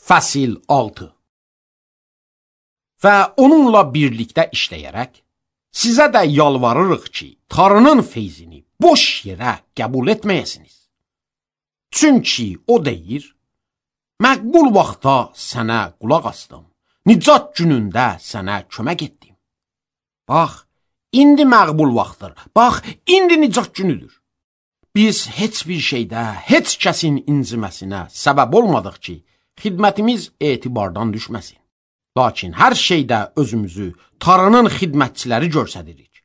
Fəsil 6. Və onunla birlikdə işləyərək, sizə də yalvarırıq ki, Tanrının feyzini boş yerə qəbul etməyəsiniz. Çünki o deyir, məqbul vaxtda sənə qulaq asdım, nicat günündə sənə kömək etdim. Bax, indi məqbul vaxtdır, bax, indi nicat günüdür. Biz heç bir şeydə, heç kəsin inciməsinə səbəb olmadıq ki, xidmətimiz etibardan düşməsin. Lakin hər şeydə özümüzü Tanrının xidmətçiləri görsədirik.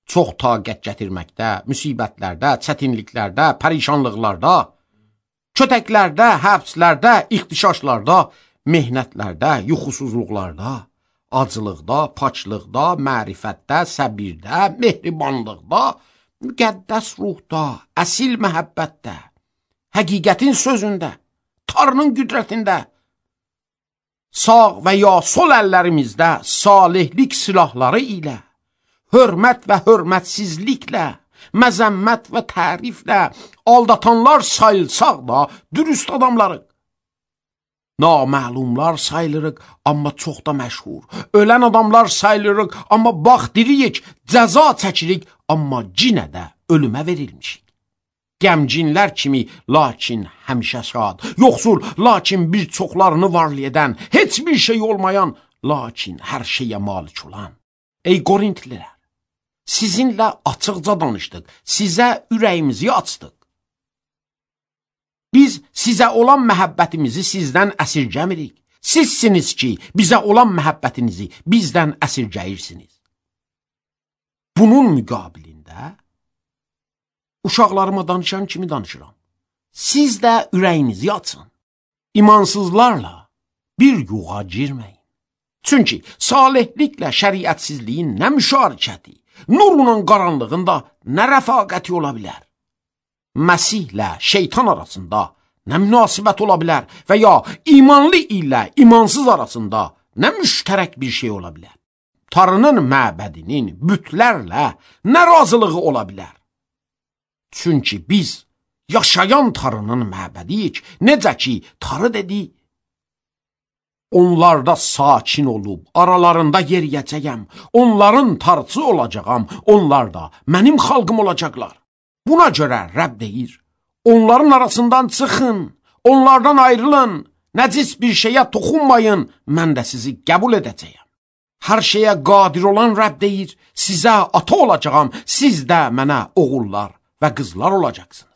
Çox taqət gətirməkdə, müsibətlərdə, çətinliklərdə, pərişanlıqlarda, kötəklərdə, həbslərdə, ixtişaşlarda, mehnətlərdə, yuxusuzluqlarda, acılıqda, paçlıqda, mərifətdə, səbirdə, mehribanlıqda, müqəddəs ruhda, əsil məhəbbətdə, həqiqətin sözündə, Tanrının qüdrətində, sağ və ya sol əllərimizdə salihlik silahları ilə, hörmət və hörmətsizliklə, məzəmmət və təriflə, aldatanlar sayılsaq da dürüst adamlarıq. Naməlumlar sayılırıq, amma çox da məşhur. Ölən adamlar sayılırıq, amma bax diriyik, cəza çəkirik, amma cinə də ölümə verilmişik. Gəmcinlər kimi, lakin həmişə şad, yoxsul, lakin bir çoxlarını varlayan, heç bir şey olmayan, lakin hər şeyə malik olan. Ey Qorintlilər, sizinlə açıqca danışdıq, sizə ürəyimizi açdıq. Biz sizə olan məhəbbətimizi sizdən əsirgəmirik. Sizsiniz ki, bizə olan məhəbbətinizi bizdən əsirgəyirsiniz. Bunun müqabilində uşaqlarıma danışan kimi danışıram. Siz də ürəyinizi açın. İmansızlarla bir yuğa girməyin. Çünki salihliklə şəriətsizliyin nə müşarikəti, nurla qaranlığında nə rəfaqəti ola bilər? Məsihlə şeytan arasında nə münasibət ola bilər və ya imanlı ilə imansız arasında nə müştərək bir şey ola bilər? Tanrının məbədinin bütlərlə nə razılığı ola bilər? Çünki biz yaşayan Tanrının məbədiyik, necə ki, Tanrı dedi, onlarda sakin olub, aralarında yeriyəcəyəm, onların tarçı olacağam, onlar da mənim xalqım olacaqlar. Buna görə Rəbb deyir, onların arasından çıxın, onlardan ayrılın, nəcis bir şeyə toxunmayın, mən də sizi qəbul edəcəyəm. Hər şeyə qadir olan Rəbb deyir, sizə ata olacağam, siz də mənə oğullar və qızlar olacaqsınız.